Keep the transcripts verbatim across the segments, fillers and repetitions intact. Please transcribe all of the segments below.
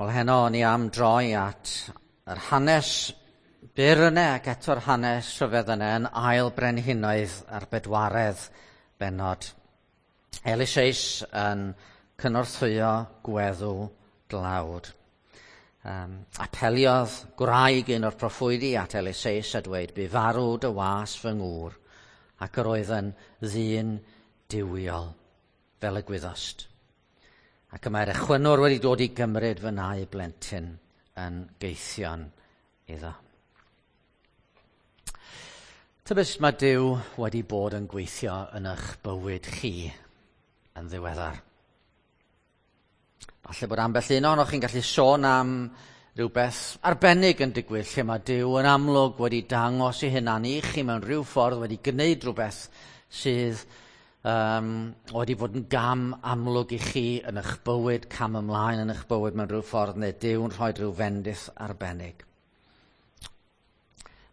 Wel, heno o'n i am droi at yr hanes byr yna ac eto'r hanes rhyfedd yna yn ail brenhinoedd a'r bedwaredd bennod. Eliseus yn cynorthwyo gweddw dlawd. Um, apeliodd gwraig un o'r proffwydi at Eliseus a dweud, bu farw dy was fy ngŵr, ac yr oedd yn ddyn duwiol, fel y gwyddost. Ac y mae'r echwynwr wedi dod i gymryd fy nau blentyn yn geithion iddo. Tybed sut mae Duw wedi bod yn gweithio yn eich bywyd chi yn ddiweddar? Falle bod ambell un ohonoch chi'n gallu sôn am rhywbeth arbennig yn digwydd lle mae Duw yn amlwg wedi dangos ei hunan i chi mewn rhyw ffordd, wedi gwneud rhywbeth sydd um, wedi bod yn gam amlwg i chi yn eich bywyd, cam ymlaen yn eich bywyd mewn rhyw ffordd, neu Duw yn rhoi rhyw fendith arbennig.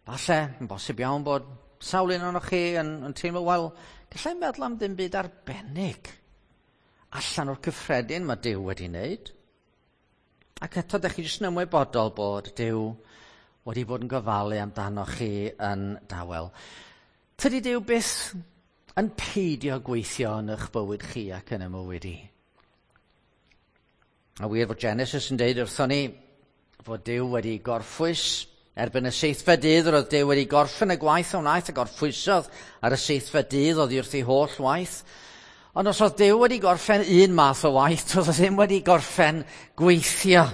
Falle, yn bosib iawn bod sawl un ohonoch chi yn, yn teimlo, wel, gallai meddwl am ddim byd arbennig allan o'r cyffredin mae Duw wedi wneud. Ac eto, ydych chi jyst yn ymwybodol bod Duw wedi bod yn gofalu amdanoch chi yn dawel. Tydi Duw byth yn peidio gweithio yn eich bywyd chi ac yn y mywyd i. A wir fod Genesis yn deud wrthon ni fod Duw wedi gorffwys erbyn y seithfed dydd, roedd Duw wedi gorffen y gwaith a wnaeth a gorffwysodd ar y seithfed dydd oddi wrth ei holl waith. Ond os oedd Duw wedi gorffen un math o waith, doedd o ddim wedi gorffen gweithio.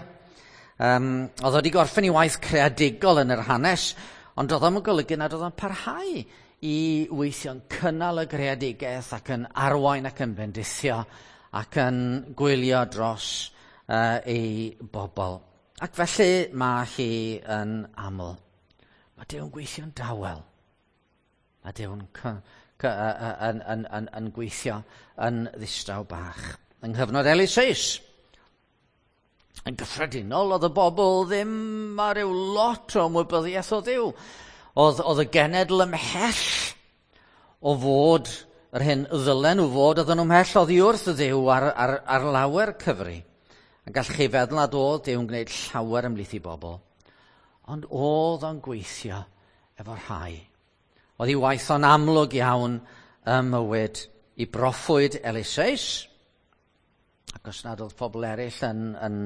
Um, oedd wedi gorffen ei waith creadigol yn yr hanes, ond oedd o'n golygu nad oedd o'n parhau i weithio'n cynnal y greadigaeth ac yn arwain ac yn bendithio ac yn gwylio dros uh, ei bobl. Ac felly mae hi yn aml. Mae Duw'n gweithio'n dawel. Mae Duw'n yn, yn, yn, yn gweithio yn ddistaw bach. Yng nghyfnod Eliseus, yn gyffredinol, oedd y bobl ddim ar ryw lot o ymwybyddiaeth o Dduw. Oedd, oedd y genedl ymhell o fod yr hyn ddylen nhw fod, oedden nhw ymhell oddi wrth y Dduw ar, ar, ar lawer cyfri. A gallwch chi feddwl nad oedd Duw yn gwneud llawer ymhlith i bobl. Ond oedd o'n gweithio efo rhai. Oedd ei waith o'n amlwg iawn ym mywyd i broffwyd Eliseus. Ac os nad oedd pobl eraill yn, yn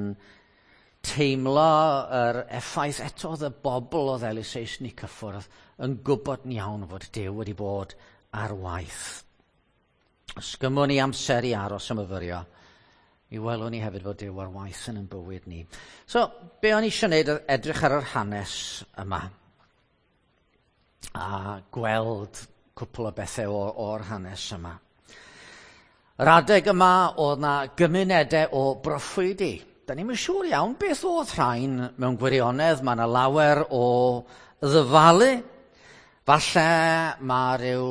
teimlo yr effaith, eto oedd y bobl oedd Eliseus yn ei cyffwrdd yn gwybod yn iawn fod Duw wedi bod ar waith. Os gymwn ni amser i aros a myfyrio, mi welwn ni hefyd fod Duw ar waith yn ein bywyd ni. So, be o'n i eisiau gwneud oedd edrych ar yr hanes yma a gweld cwpl o bethau o'r hanes yma. Yr adeg yma oedd na gymunedau o broffwydi. Da ni'm yn siŵr iawn beth oedd rhain mewn gwirionedd. Mae yna lawer o ddyfalu. Falle mae rhyw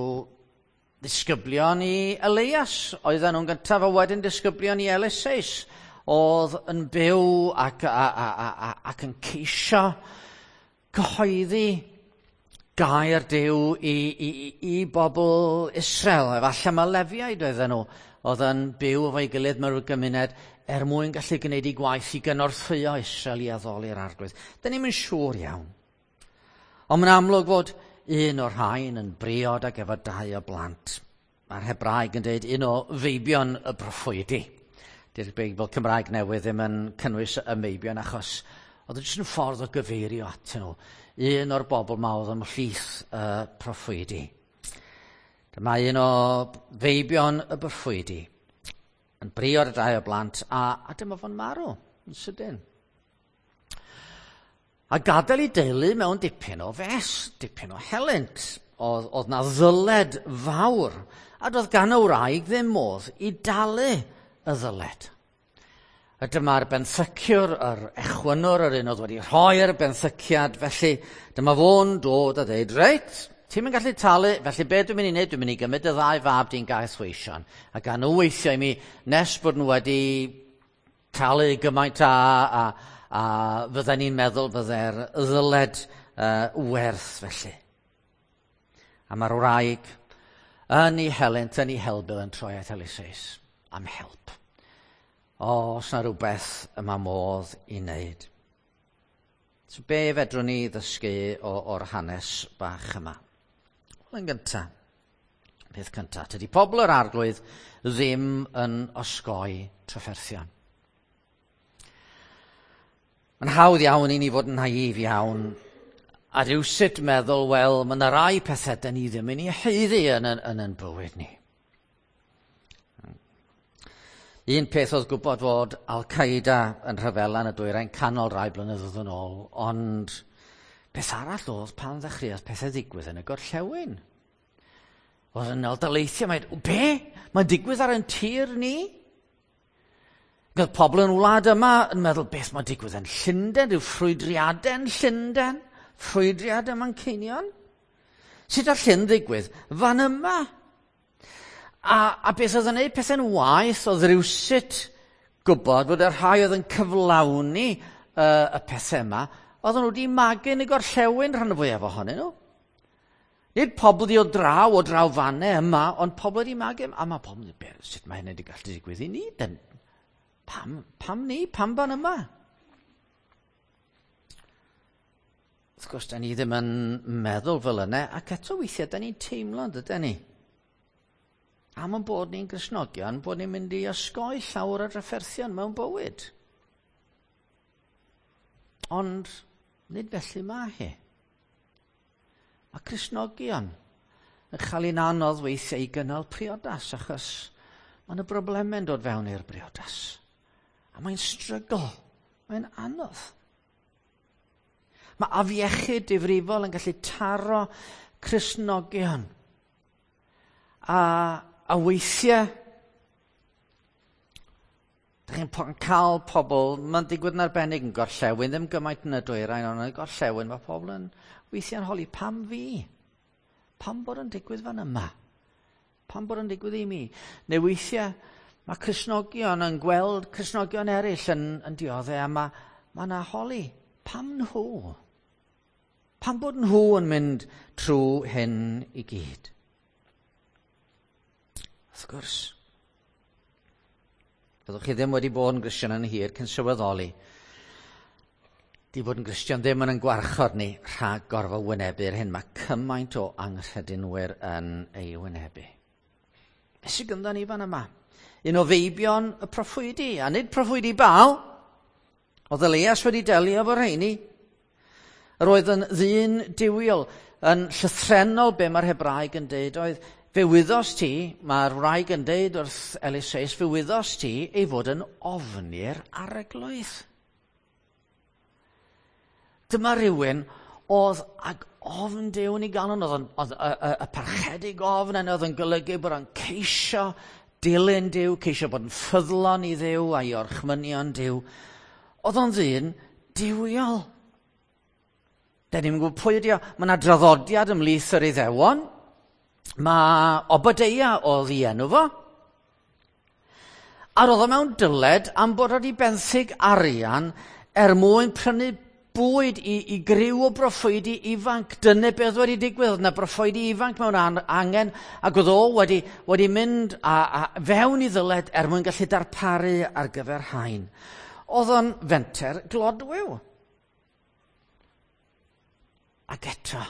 ddisgyblion i Elias oedden nhw'n gyntaf, a wedyn disgyblion i Eliseus oedd yn byw ac, a, a, a, a, ac yn ceisio cyhoeddi gair Duw i, i, i bobl Israel. Efallai mae Lefiaid oedden nhw oedd yn byw efo'i gilydd mewn gymuned er mwyn gallu gwneud eu gwaith i gynorthwyo Israel i addoli'r Arglwydd. Da ni'm yn siŵr iawn. Ond mae'n amlwg fod un o'r rhain yn briod ac efo dau o blant. Mae'r Hebraeg yn dweud un o feibion y proffwydi. Dydy'r Beibl Cymraeg newydd ddim yn cynnwys y meibion achos oedd yn jyst yn ffordd o gyfeirio atyn nhw. Un o'r bobl ma oedd ymhlith y proffwydi. Dyma un o feibion y proffwydi yn briod y dau o blant, a, a dyma fo'n marw yn sydyn. A gadael ei deulu mewn dipyn o fes, dipyn o helynt. Oedd, oedd na ddyled fawr, a doedd gan y wraig ddim modd i dalu y ddyled. A dyma'r benthyciwr, yr echwynwr, yr un oedd wedi rhoi'r benthyciad, felly dyma fo'n dod a dweud, reit, ti'n mynd gallu talu, felly be dwi'n mynd i wneud? Dwi'n mynd i gymryd y ddau fab di'n gaethweision, a gan nhw weithio i mi nes bod nhw wedi talu gymaint a, a, a fydden ni'n meddwl fydde'r ddyled uh, werth felly. A mae'r wraig yn ei helynt, yn ei helbul yn troi at Eliseus am help. O, os na rhywbeth y mae modd i wneud. So be fedrwn ni ddysgu o, o'r hanes bach yma? Wel, yn gyntaf, peth cyntaf, tydi pobl yr Arglwydd ddim yn osgoi trafferthion. Mae'n hawdd iawn i ni fod yn naif iawn a rywsut meddwl, wel, mae yna rai pethau da ni ddim yn ei haeddu yn, yn, yn, yn bywyd ni. Un peth oedd gwybod fod Al-Qaeda yn rhyfela yn y dwyrain canol rai blynyddoedd yn ôl, ond beth arall oedd pan ddechreuodd pethau ddigwydd yn y gorllewin. Oedd yn ôl daleithiau, mae'n, be? Mae'n digwydd ar ein tir ni? Oedd pobl yn wlad yma yn meddwl, beth mae'n digwydd yn Llundain, rhyw ffrwydriadau yn Llundain, ffrwydriad ym Manceinion? Sut all hyn ddigwydd fan yma? A, a beth oedd yn gwneud pethau'n waeth oedd rywsut gwybod fod y rhai oedd yn cyflawni uh, y pethau yma, oedden nhw wedi magu yn y gorllewin rhan fwyaf ohonyn nhw. Nid pobl di o draw, o draw fannau yma, ond pobl wedi magu, a mae pobl yn dweud, sut mae hynny wedi gallu digwydd i ni? Den, pam, pam ni? Pam fan yma? Wrth gwrs, da ni ddim yn meddwl fel yna, ac eto weithiau, da ni'n teimlo, dydyn ni? Am yn bod ni'n Gristnogion, bod ni'n mynd i osgoi llawer o drafferthion mewn bywyd. Ond nid felly mae hi. Mae Cristnogion yn cael ein anodd weithiau i gynnal priodas, achos mae yna broblemau'n dod fewn i'r briodas. A mae'n strygl, mae'n anodd. Mae afiechyd difrifol yn gallu taro Cristnogion. A A weithiau, dych chi'n cael pobl, mae'n digwydd yn arbennig yn gorllewin, ddim gymaint yn y dwyrain, ond yn y gorllewin, mae pobl yn weithiau'n holi, pam fi? Pam bod yn digwydd fan yma? Pam bod yn digwydd i mi? Neu weithiau, mae Cristnogion yn gweld Cristnogion eraill yn, yn dioddef, a mae ma yna holi, pam nhw? Pam bod nhw yn mynd trwy hyn i gyd? Wrth gwrs, fyddwch chi ddim wedi bod yn Gristion yn hir cyn sylweddoli. Di bod yn Gristion ddim yn yn gwarchod ni rhag gorfod wynebu'r hyn. Mae cymaint o anghredinwyr yn ei wynebu. Beth sydd gyda ni fan yma? Un o feibion y proffwydi, a nid proffwydi Baal. Oedd Elias wedi delio efo rheini. Yr oedd yn ddyn duwiol, yn llythrennol be mae'r Hebraeg yn deud oedd, fe wyddos ti, mae'r wraig yn deud wrth Eliseus, fe wyddos ti ei fod yn ofni'r arglwydd. Dyma rhywun oedd ag ofn Duw yn ei galon, oedd, oedd y, y, y parchedig ofn yn oedd yn golygu bod o'n ceisio dilyn Duw, ceisio bod yn ffyddlon i Dduw a'i orchmynion Duw. Oedd o'n ddyn duwiol. Da ni'n gwybod pwy ydi o. Mae yna draddodiad ymhlith yr Iddewon. Mae Obadeia oedd ei enw fo. A roedd o mewn dyled am bod wedi benthyg arian er mwyn prynu bwyd i, i griw o broffwydi ifanc. Dyna beth wedi digwydd. Oedd yna broffwydi ifanc mewn an, angen, ac oedd o wedi, wedi mynd a, a fewn i ddyled er mwyn gallu darparu ar gyfer hain. Oedd o'n fenter glodwiw. Ac eto,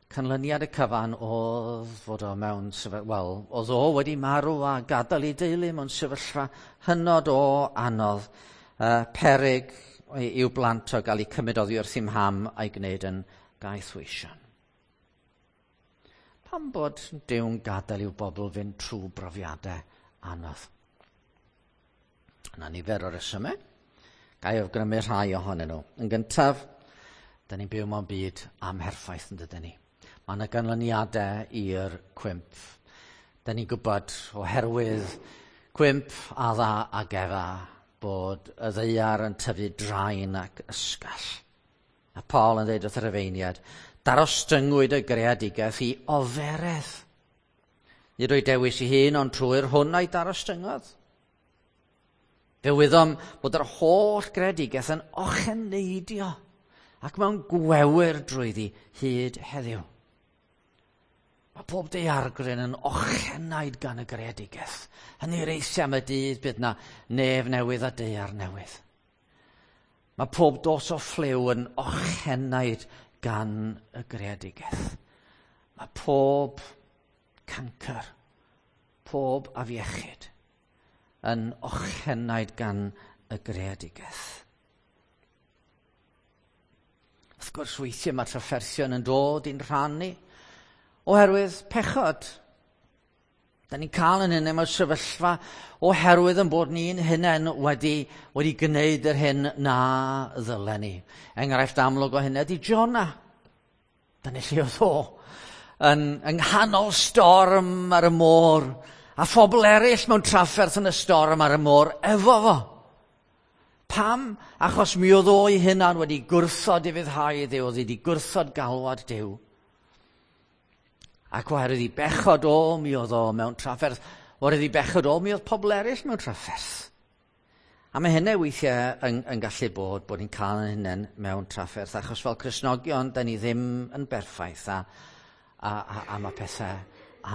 canlyniad y cyfan oedd fod o mewn sefyllfa, wel, oedd o wedi marw a gadael ei deulu mewn sefyllfa hynod o anodd, uh, peryg i'w blant o gael eu cymryd oddi wrth i'm ham a'i gwneud yn gaethweision. Pam bod Duw'n gadael i'w bobl fynd trwy brofiadau anodd? Yna nifer o resymau. Ga i awgrymu rhai ohonyn nhw. Yn gyntaf, da ni'n byw mewn byd amherffaith yn dydyn ni. Mae yna ganlyniadau i'r cwymp. Da ni'n gwybod oherwydd cwymp Adda ac Efa bod y ddaear yn tyfu draen ac ysgall. A Paul yn dweud wrth yr Rhufeiniaid, darostyngwyd y greadigaeth i oferedd. Nid o'i dewis ei hun, ond trwy'r hwn a'i darostyngodd. Fe wyddom bod yr holl greadigaeth yn ocheneidio ac mewn gwewyr drwyddi hyd heddiw. Mae pob daeargryn yn ochenaid gan y greadigaeth. Hynny reithio am y dydd bydd na nef newydd a daear newydd. Mae pob dos o ffliw yn ochenaid gan y greadigaeth. Mae pob cancer, pob afiechyd yn ochenaid gan y greadigaeth. Wrth gwrs, weithiau mae trafferthion yn dod i'n rhan ni oherwydd pechod. Da ni'n cael yn hynny mewn sefyllfa oherwydd yn bod ni'n hunain wedi, wedi gwneud yr hyn na ddylen ni. Enghraifft amlwg o hynny ydy Jonah. Da ni lle oedd o yn, yng nghanol storm ar y môr a phobl eraill mewn trafferth yn y storm ar y môr efo fo. Pam? Achos mi oedd o'i hunan wedi gwrthod ufuddhau i Dduw, oedd wedi gwrthod galwad Duw. Ac oherwydd i bechod o, mi oedd o mewn trafferth. Oherwydd i bechod o, mi oedd pobl eraill mewn trafferth. A mae hynny weithiau yn, yn gallu bod, bod ni'n cael yn hunain mewn trafferth, achos fel Cristnogion, da ni ddim yn berffaith, a, a, a, a mae pethau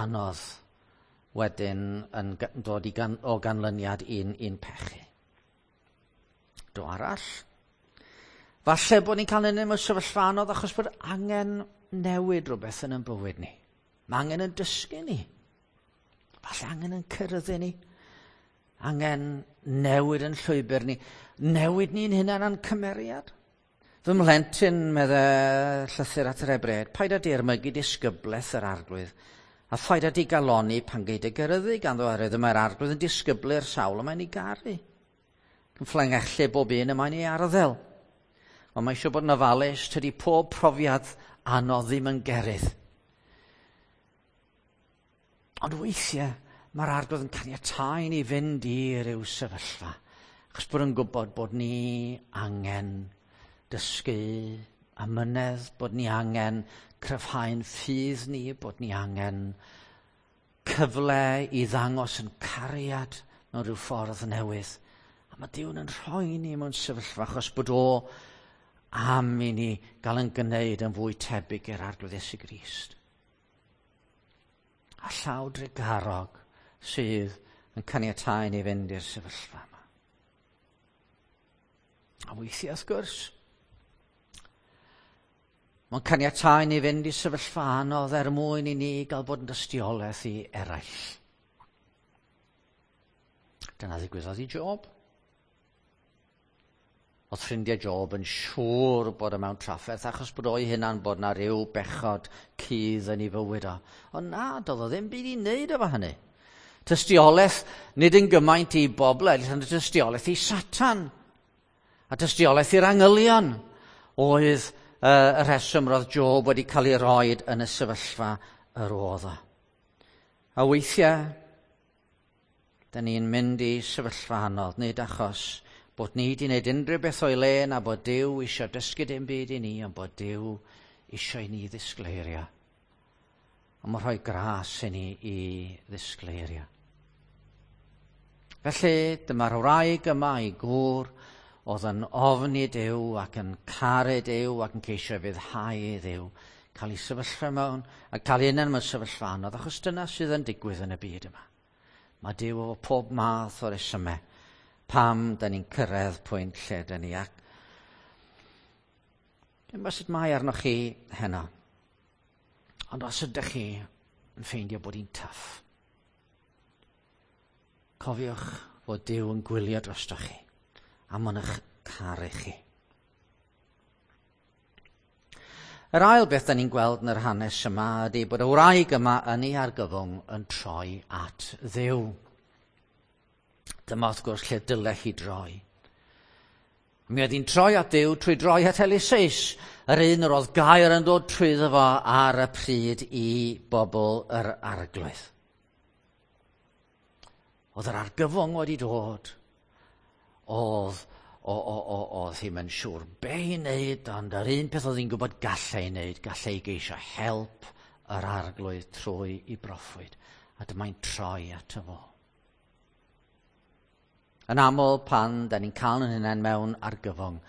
anodd wedyn yn dod i gan, o ganlyniad i'n, i'n pechu. Do arall. Falle bod ni'n cael yn mewn sefyllfa anodd achos bod angen newid rhywbeth yn ein bywyd ni. Mae angen yn dysgu ni. Falle angen yn cyrraedd ni. Angen newid yn llwybr ni. Newid ni'n hunain a'n cymeriad. Fy mhlentyn, medde llythyr at yr Hebreaid, paid â dirmygu disgyblaeth yr Arglwydd, a phaid â digalonni pan gei dy geryddu ganddo, oherwydd y mae'r Arglwydd yn disgyblu'r sawl y mae'n ei garu. Yn fflengellu bob un y mae'n ei arddel. Ond mae eisiau bod yn ofalus, tydi pob profiad anodd ddim yn gerydd. Ond weithiau, mae'r Arglwydd yn caniatáu ni fynd i ryw sefyllfa, achos bod yn gwybod bod ni angen dysgu amynedd, bod ni angen cryfhau'n ffydd ni, bod ni angen cyfle i ddangos yn cariad mewn rhyw ffordd newydd. A mae Duw yn rhoi ni mewn sefyllfa achos bod o am i ni gael yn gwneud yn fwy tebyg i'r Arglwydd Iesu Grist. A llaw drugarog sydd yn caniatáu ni fynd i'r sefyllfa yma. A weithiau, wrth gwrs, mae'n caniatáu ni fynd i sefyllfa anodd er mwyn i ni gael bod yn dystiolaeth i eraill. Dyna ddigwyddodd i Job. Oedd ffrindiau Job yn siŵr bod o mewn trafferth achos bod o'i hunan bod na ryw bechod cudd yn ei fywyd o. Ond na, doedd o ddim byd i wneud efo hynny. Tystiolaeth nid yn gymaint i bobl eraill, ond tystiolaeth i Satan. A tystiolaeth i'r angylion oedd uh, y rheswm roedd Job wedi cael ei roed yn y sefyllfa yr oedd o. A weithiau, da ni'n mynd i sefyllfa anodd, nid achos bod ni wedi gwneud unrhyw beth o'i le na bod Duw eisiau dysgu dim byd i ni, ond bod Duw eisiau i ni ddisgleirio. A mae rhoi gras i ni i ddisgleirio. Felly, dyma'r wraig yma i gŵr oedd yn ofni Duw ac yn caru Duw ac yn ceisio fuddhau i Dduw, cael ei sefyllfa mewn, a cael ei hunan mewn sefyllfa anodd, achos dyna sydd yn digwydd yn y byd yma. Mae Duw efo pob math o resymau pam da ni'n cyrraedd pwynt lle da ni. Ac dwi'n gwybod sut mae arnoch chi heno, ond os ydych chi yn ffeindio bod hi'n tough, cofiwch fod Duw yn gwylio drostoch chi a mae'n eich caru chi. Yr ail beth da ni'n gweld yn yr hanes yma ydy bod y wraig yma yn ei argyfwng yn troi at Dduw. Dyma wrth gwrs lle dylech chi droi. Mi oedd hi'n troi at Dduw trwy droi at Eliseus, yr un yr oedd gair yn dod trwyddo fo ar y pryd i bobl yr Arglwydd. Oedd yr argyfwng wedi dod. Oedd, o, o, o, oedd hi'm yn siŵr be i wneud, ond yr un peth oedd hi'n gwybod gallai ei wneud, gallai ei geisio help yr Arglwydd trwy i broffwyd. A dyma'n troi ato fo. Yn aml pan da ni'n cael yn hunain mewn argyfwng,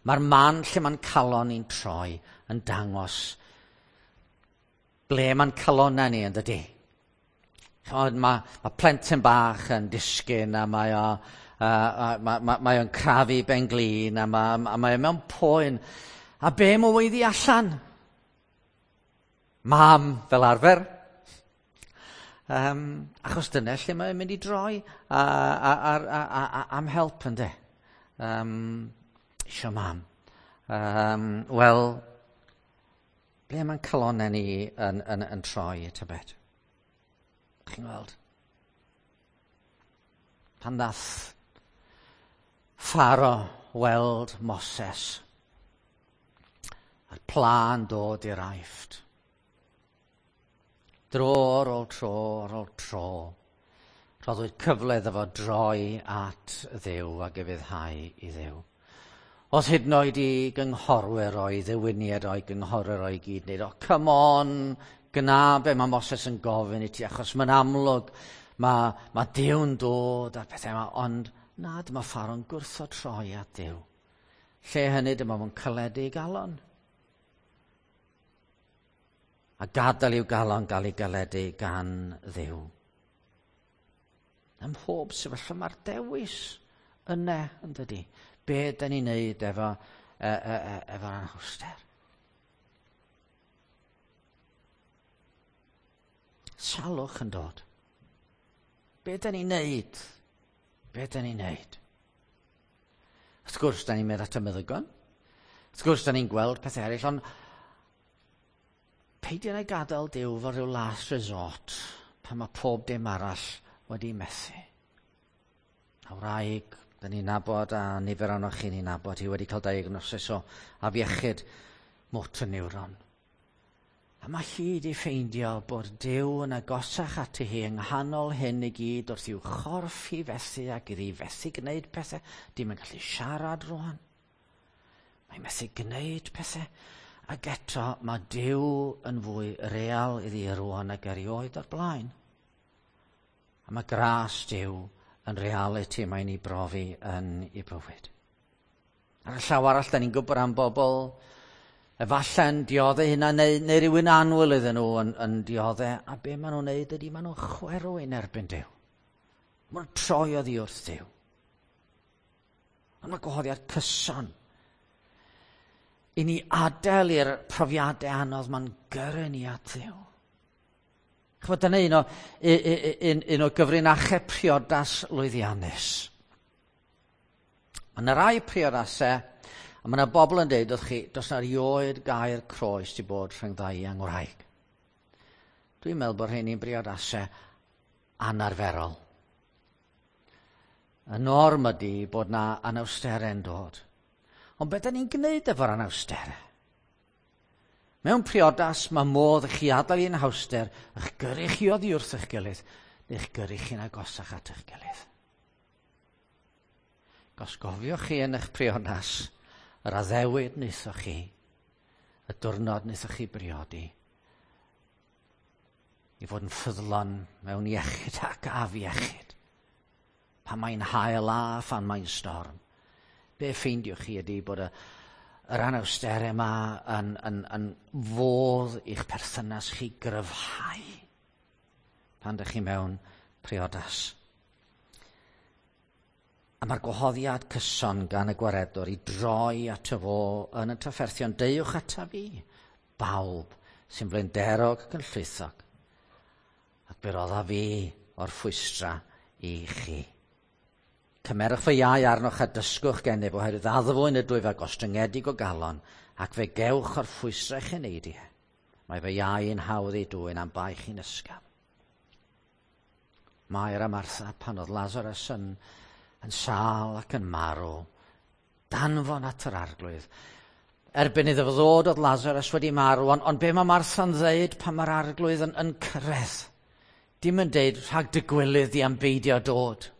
mae'r man lle mae'n calon ni'n troi yn dangos Ble mae'n calonnau ni yn dydy? Chymod, mae, mae plentyn bach yn disgyn a mae o, uh, mae, mae, mae o'n crafu ben glin a mae, a mae o mewn poen. A be mae'n weiddi allan? Mam, fel arfer. Um, achos dyna lle mae'n mynd i droi a, a, a, a, a, a, am help ynde. Um, isio mam. Um, Wel, ble mae'n calonnau ni yn, yn, yn troi tybed? Chi'n gweld? Pan ddath Pharaoh weld Moses a'r pla'n dod i'r Aifft. Dro ar ôl tro ar ôl tro, rhoddwyd cyfle iddo fo droi at Dduw ac ufuddhau i Dduw. Os hyd yn oed i gynghorwyr o'i ddewiniad o'i gynghorwyr o'i gyd wneud, o, come on, gna be mae Moses yn gofyn i ti, achos mae'n amlwg, mae, mae Duw'n dod a'r pethau yma, ond na, dyma Pharaoh'n gwrthod troi at Dduw. Lle hynny, dyma fo'n caledu ei galon. A gadael i'w galon gael ei galedu gan Dduw. Ym mhob sefyllfa mae'r dewis yna, yn dydy. Be da ni'n neud efo, e, e, e, efo'r anhawster? Salwch yn dod. Be da ni'n neud? Be da ni'n neud? Wrth gwrs, da ni'n mynd at y meddygon. Wrth gwrs, da ni'n gweld pethau eraill, ond peidio na gadael Duw fel rhyw last resort pan mae pob dim arall wedi methu. A wraig, da ni'n nabod, a nifer ohonoch chi'n ei nabod, hi wedi cael diagnosis o afiechyd motor neuron. A mae hi wedi ffeindio bod Duw yn agosach ati hi yng nghanol hyn i gyd wrth i'w chorff hi fethu ac iddi fethu gwneud pethau. Dim yn gallu siarad rwan. Mae'n methu gwneud pethau. Ac eto mae Duw yn fwy real iddi rwan ag erioed o'r blaen. A mae gras Duw yn realiti mae'n ei brofi yn ei bywyd. Ar y llaw arall, da ni'n gwybod am bobl efallai'n dioddau hynna neu, neu rhywun annwyl iddyn nhw yn, yn dioddau, a be maen nhw'n neud ydy maen nhw'n chwerw yn erbyn Duw. Maen nhw'n troi oddi wrth Duw. Ond mae gwahoddiad cyson i ni adael i'r profiadau anodd ma'n gyrru ni at Dduw. Chymod, dyna un o, un, un o gyfrinachau priodas lwyddiannus. Mae yna rai priodasau, a mae yna bobl yn deud wrth chi, does na rioed gair croes di bod rhwng ddau angwraig. Dwi'n meddwl bod rheini'n briodasau anarferol. Y norm ydy bod na anawsterau'n dod. Ond beth da ni'n gwneud efo'r anawsterau? Mewn priodas mae modd i chi adael i'n hawster, eich gyrru chi oddi wrth eich gilydd, neu eich gyrru chi'n agosach at eich gilydd. Gos gofiwch chi yn eich priodas, yr addewid wnaethoch chi, y diwrnod wnaethoch chi briodi, i fod yn ffyddlon mewn iechyd ac afiechyd, pan mae'n haul a phan mae'n storm. Be ffeindiwch chi ydy bod y, yr anawsterau yma yn, yn, yn fodd i'ch perthynas chi gryfhau pan ydych chi mewn priodas. A mae'r gwahoddiad cyson gan y gwaredwr i droi ato fo yn y trafferthion. Deuwch ata fi, bawb sy'n flinderog ac yn llwythog, ac fe rodda fi o'r ffwystra i chi. Cymerwch fy iau arnoch a dysgwch gennyf, oherwydd addfwyn ydw i fe gostyngedig o galon, ac fe gewch o'r ffwystra eich eneidiau. Mae fy iau yn hawdd ei dwyn am baich i'n ysgafn. Mair a Martha, pan oedd Lazarus yn, yn sâl ac yn marw, danfon at yr arglwydd. Erbyn iddo fo ddod oedd Lazarus wedi marw, ond, ond be mae Martha'n ddeud pan mae'r arglwydd yn, yn cyrraedd? Dim yn deud rhag dy gwilydd di am beidio dod.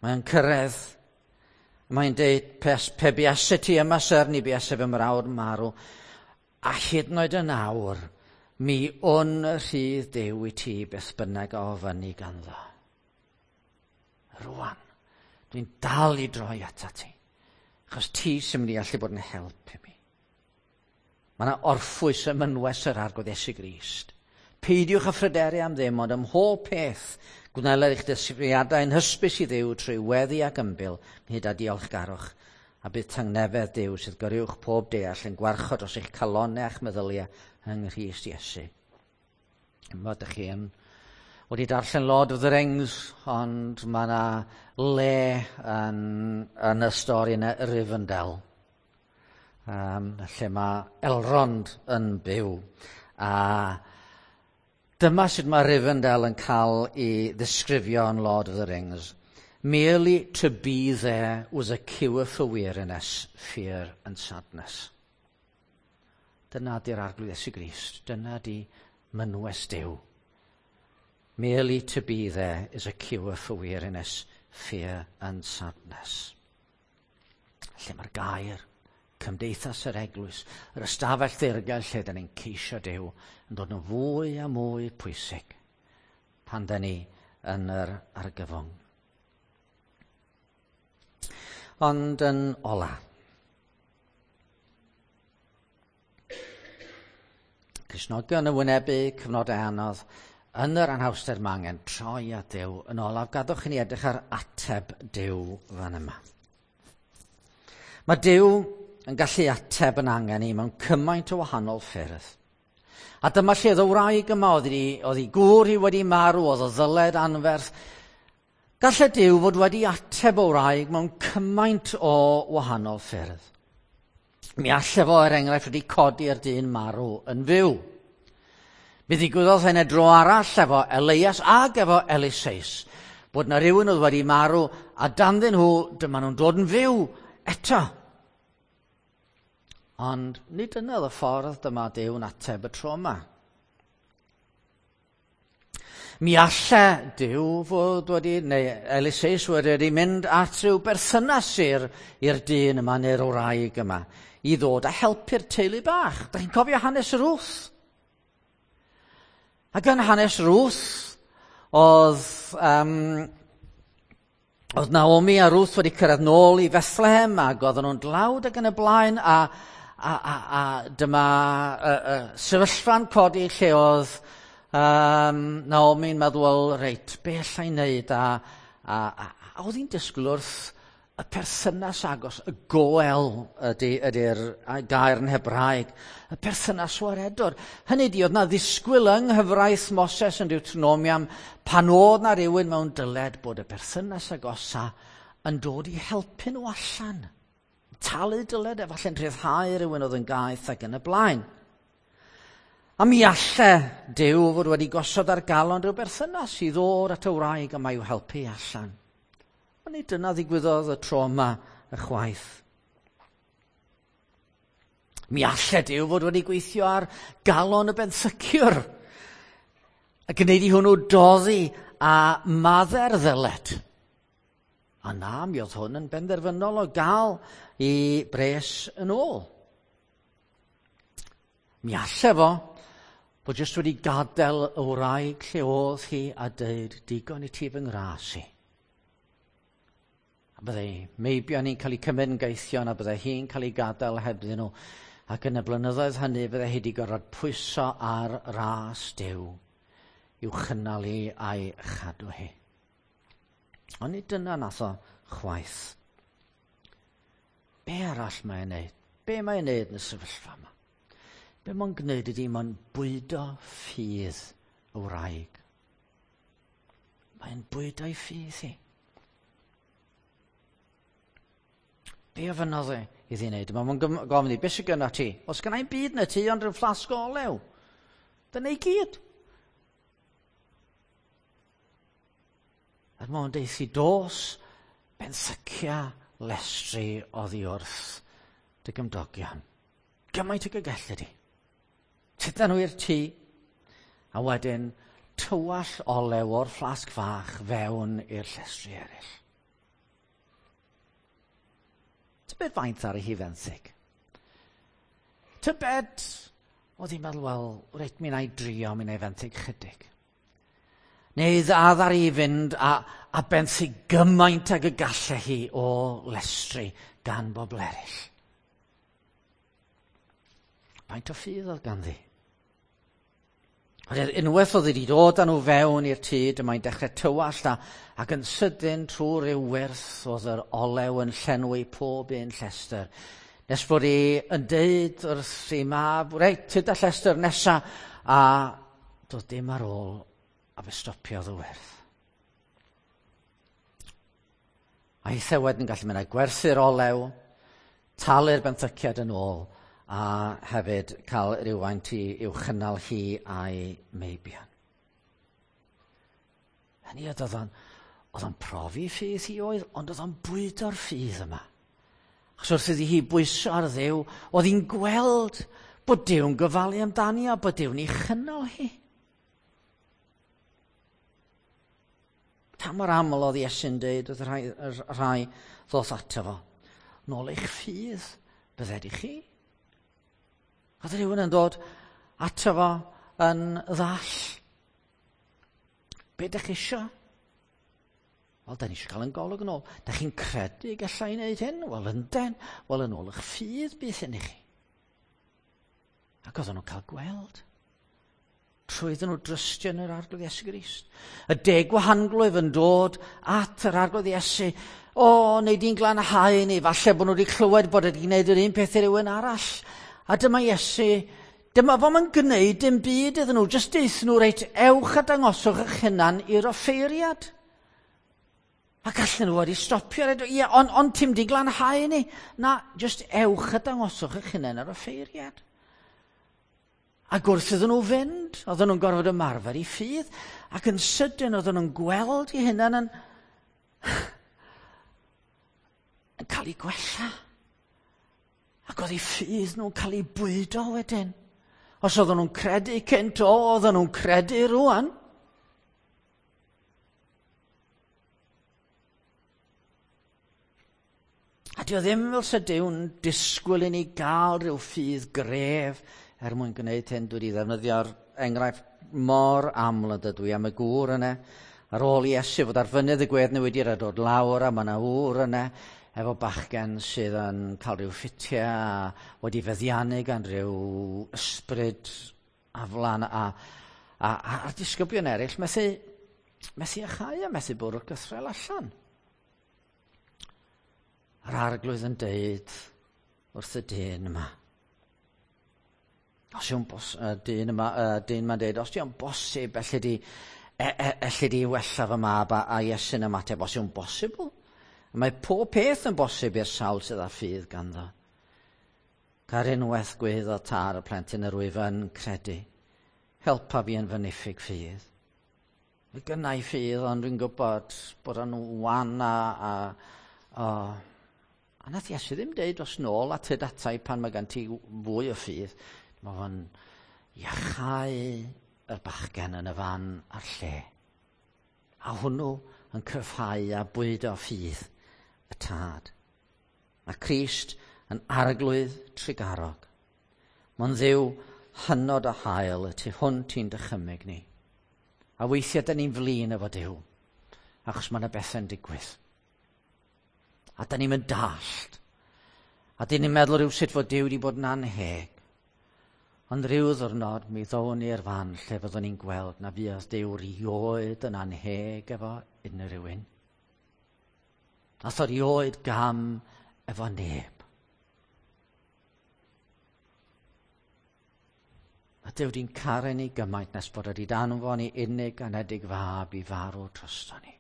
Mae'n cyrraedd. Mae'n deud, pe, pe buase ti yma, syr, ni buase fy mrawd marw. A hyd yn oed yn awr, mi wn rhydd Duw i ti beth bynnag a ofynni ganddo. Rwan, dwi'n dal i droi atat ti, achos ti sy'n mynd i allu bod yn help i mi. Mae yna orffwys ym mynwes yr Arglwydd Iesu Grist. Peidiwch â phryderu am ddim, ond ym mhob peth gwneler eich dysgriadau yn hysbys i Dduw trwy weddi ac ymbil, ynghyd â diolchgarwch, a bydd tangnefedd Duw sydd goruwch pob deall yn gwarchod dros eich calonnau a'ch meddyliau yng Nghrist Iesu. Yma ydych chi yn wedi darllen Lord of the Rings, ond mae yna le yn, yn y stori yna, Rivendell, um, lle mae Elrond yn byw. A dyma sut mae Rivendell yn cael ei ddisgrifio yn Lord of the Rings. Merely to be there was a cure for weariness, fear and sadness. Dyna di'r Arglwydd Iesu Grist. Dyna di mynwes Duw. Merely to be there is a cure for weariness, fear and sadness. Lle mae'r gair, cymdeithas yr eglwys, yr ystafell ddirgel lle da ni'n ceisio Duw yn dod yn fwy a mwy pwysig pan da ni yn yr argyfwng. Ond yn ola, Cristnogion yn wynebu cyfnodau anodd, yn yr anhawster mae angen troi at Duw. Yn olaf, gadwch i ni edrych ar ateb Duw fan yma. Mae Duw yn gallu ateb yn angen i mewn cymaint o wahanol ffyrdd. A dyma lle oedd y wraig yma, oedd hi, oedd hi gŵr hi wedi marw, oedd o ddyled anferth. Gallai Duw fod wedi ateb o wraig mewn cymaint o wahanol ffyrdd. Mi allai fo, er enghraifft, wedi codi'r dyn marw yn fyw. Mi ddigwyddodd hynny dro arall efo Elias ag efo Eliseus, bod na rhywun oedd wedi marw a danddyn nhw, dyma nhw'n dod yn fyw eto. Ond nid dyna oedd y ffordd dyma Duw'n ateb y tro yma. Mi alle Duw fod wedi, neu Eliseus wedi mynd at rhyw berthynas i'r, i'r dyn yma neu'r wraig yma i ddod a helpu'r teulu bach. Da chi'n cofio hanes Ruth? Ac yn hanes Ruth, oedd, um, oedd Naomi a Ruth wedi cyrraedd nôl i Bethlehem ac oedden nhw'n dlawd ac yn y blaen, a, a, a, a dyma uh, uh, sefyllfa'n codi lle oedd um, Naomi'n meddwl, wel, reit, be allai wneud? A, a, a, a oedd hi'n disgwyl wrth y perthynas agos, y goel ydy, ydy'r gair yn Hebraeg, y perthynas waredwr. Hynny ydy, oedd na ddisgwyl yng nghyfraith Moses yn Deuteronomium pan oedd na rhywun mewn dyled bod y perthynas agosa yn dod i helpu nhw allan. Talu dyled, efallai'n rhyddhau rhywun oedd yn gaeth ac yn y blaen. A mi alle Duw fod wedi gosod ar galon rhyw berthynas i ddod at y wraig yma i'w helpu allan. Ond nid dyna ddigwyddodd y tro yma y chwaith. Mi alle Duw fod wedi gweithio ar galon y benthyciwr a gwneud i hwnnw doddi a madde'r ddyled. A na, mi oedd hwn yn benderfynol o gael i bres yn ôl. Mi alle fo bod jyst wedi gadael y wraig lle oedd hi a dweud, digon i ti fy ngras i. A byddai meibion ni'n cael eu cymryd yn gaethion a byddai hi'n cael ei gadael hebddyn nhw. Ac yn y blynyddoedd hynny byddai hi wedi gorfod pwyso ar ras Duw i'w chynnal hi a'i chadw hi. Ond nid dyna nath o chwaith. Be arall mae'n neud? Be mae'n neud yn y sefyllfa yma? Be mae'n gwneud ydy mae'n bwydo ffydd y wraig. Mae'n bwydo'i ffydd hi. Be ofynnodd e iddi wneud? Mae'n gofyn i, beth sydd gynna ti? Os gynna i'm byd na ti, ond rhyw fflasg o olew. Dyna i gyd. A mae'n deud i dos benthycia lestri oddi wrth dy gymdogion. Gymaint ag y gelli di. Tyda nhw i'r tŷ, a wedyn tywall olew o'r fflasg fach fewn i'r llestri eraill. Tybed faint ar ei hi fenthyg? Tybed, oedd hi'n meddwl, wel, reit, mi wna i drio, mi wna i fenthyg chydig. Neu ddadd ar ei fynd a, a benthyg gymaint ag y gallai hi o lestri gan bobl eraill. Faint o ffydd oedd ganddi. Ond unwaith oedd wedi dod â nhw fewn i'r tŷ, dyma'n dechrau tywallt a, ac yn sydyn trwy ryw wyrth oedd yr olew yn llenwi pob un llestr. Nes bod hi yn deud wrth ei mab, reit, tyd â llestr nesa, a doedd dim ar ôl, a fe stopiodd y wyrth. A hithe wedyn gallu mynd â gwerthu'r olew, talu'r benthyciad yn ôl, a hefyd cael rhywfaint i i'w chynnal hi a'i meibion. Hynny oedd o'n, oedd o'n profi ffydd hi oedd, ond oedd o'n bwydo'r ffydd yma. Achos wrth iddi hi bwyso ar Dduw, oedd hi'n gweld bod Duw'n gofalu amdani a bod Duw'n ei chynnal hi. Pa mor aml oedd Iesu'n dweud wrth y rhai, y rhai ddoth ato fo, nôl eich ffydd, bydded i chi. Oedd rhywun yn dod ato fo yn ddall. Be dych chi isio? Wel, da ni eisiau cael yn golwg yn ôl. Da chi'n credu gallai wneud hyn? Wel, ynden. Wel, yn ôl eich ffydd bydd hyn i chi. Ac oedden nhw'n cael gweld. Trwy iddyn nhw drystio yn yr Arglwydd Iesu Grist. Y deg gwahanglwyf yn dod at yr Arglwydd Iesu. O, neu di'n glanhau ni. Falle bod nhw wedi clywed bod wedi gwneud yr un peth i rywun arall. A dyma Iesu, dyma fo ma'n gwneud dim byd iddyn nhw. Jyst deuthon nhw, reit, ewch a dangoswch eich hunan i'r offeiriad. Ac allan nhw wedi stopio. Ie, ond on, ti'n di glanhau ni. Na, jyst ewch a dangoswch eich hunan ar offeiriad. Ac wrth iddyn nhw fynd, oedden nhw'n gorfod ymarfer i ffydd, ac yn sydyn oedden nhw'n gweld eu hunan yn, yn cael eu gwella. Ac oedd eu ffydd nhw'n cael eu bwydo wedyn. Os oedden nhw'n credu cynt, o, oedden nhw'n credu rwan. A dio ddim fel sa Duw'n disgwyl i ni gael rhyw ffydd gref er mwyn gwneud hyn. Dwi wedi ddefnyddio'r enghraifft mor aml yn dydw i am y gŵr yna. Ar ôl i Iesu fod ar fynydd y gwedd newidir a dod lawr, a mae yna ŵr yna efo bachgen sydd yn cael rhyw ffitiau a wedi feddiannu gan rhyw ysbryd aflan a, a, a, a'r disgyblion eraill methu, methu achau a methu bwrw'r gythrel allan. A'r Arglwydd yn deud wrth y dyn yma, os yw'n bos, uh, dyn yma, uh, dyn yma'n deud, os yw'n bosib, elli di, e, e, elli di wella fy mab, a, a Iesu'n ymateb, os yw'n bosibl. Mae pob peth yn bosib i'r sawl sydd â ffydd ganddo. Car unwaith gweiddo tar y plentyn yr wyf yn credu. Helpa fi yn fy niffyg ffydd. Mae gynna i ffydd, ond dwi'n gwybod bod o'n wan a... a, a A nath Iesu ddim deud os nôl at y datai pan mae gen ti fwy o ffydd. Mae fo'n iachau y bachgen yn y fan a'r lle. A hwnnw yn cryfhau a bwydo ffydd y tad. Mae Crist yn arglwydd trugarog. Mae'n Dduw hynod o hael y tu hwnt i'n dychymyg ni. A weithiau dyn ni'n flin efo Duw, achos mae yna bethau'n digwydd. A dyn ni'n mynd dallt. A dyn ni'n meddwl rhywsut fod Duw wedi bod yn anheg. Ond rhyw ddwrnod mi ddown ni'r fan lle fyddwn ni'n gweld na fuodd Duw rioed yn anheg efo unrhyw un. Nath o rioed gam efo neb. A Duw di'n caru ni gymaint nes bod wedi danfon ni unig anedig fab i farw drosto ni.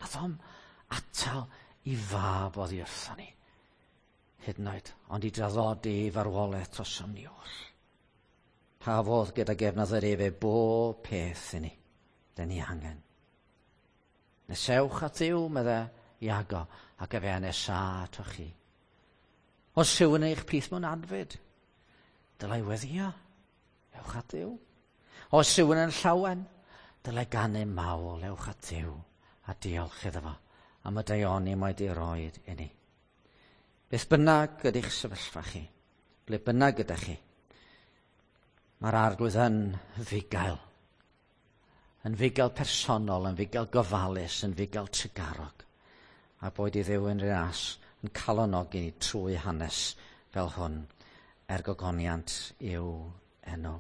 Nath o'm atal i fab oddi wrtho ni, hyd yn oed, ond i draddodi ei farwolaeth drosom ni oll. Pa fodd gyda gefnodd yr efe bob peth i ni, dyn ni angen. Nesewch at Dduw, medde Iago, ac efe nesa atoch chi. Os rhywun yn eich plith mewn adfyd, dylai weddio, ewch at Dduw. Os rhywun yn llawen, dylai ganu mawl, ewch at Dduw, a diolch iddo fo am y daioni mae di roed i ni. Beth bynnag ydych sefyllfa chi, ble bynnag ydych chi, mae'r Arglwydd yn fugail. Yn fugail personol, yn fugail gofalus, yn fugail trugarog. A boed i Dduw yn ras yn calonogi ni trwy hanes fel hwn er gogoniant i'w enw.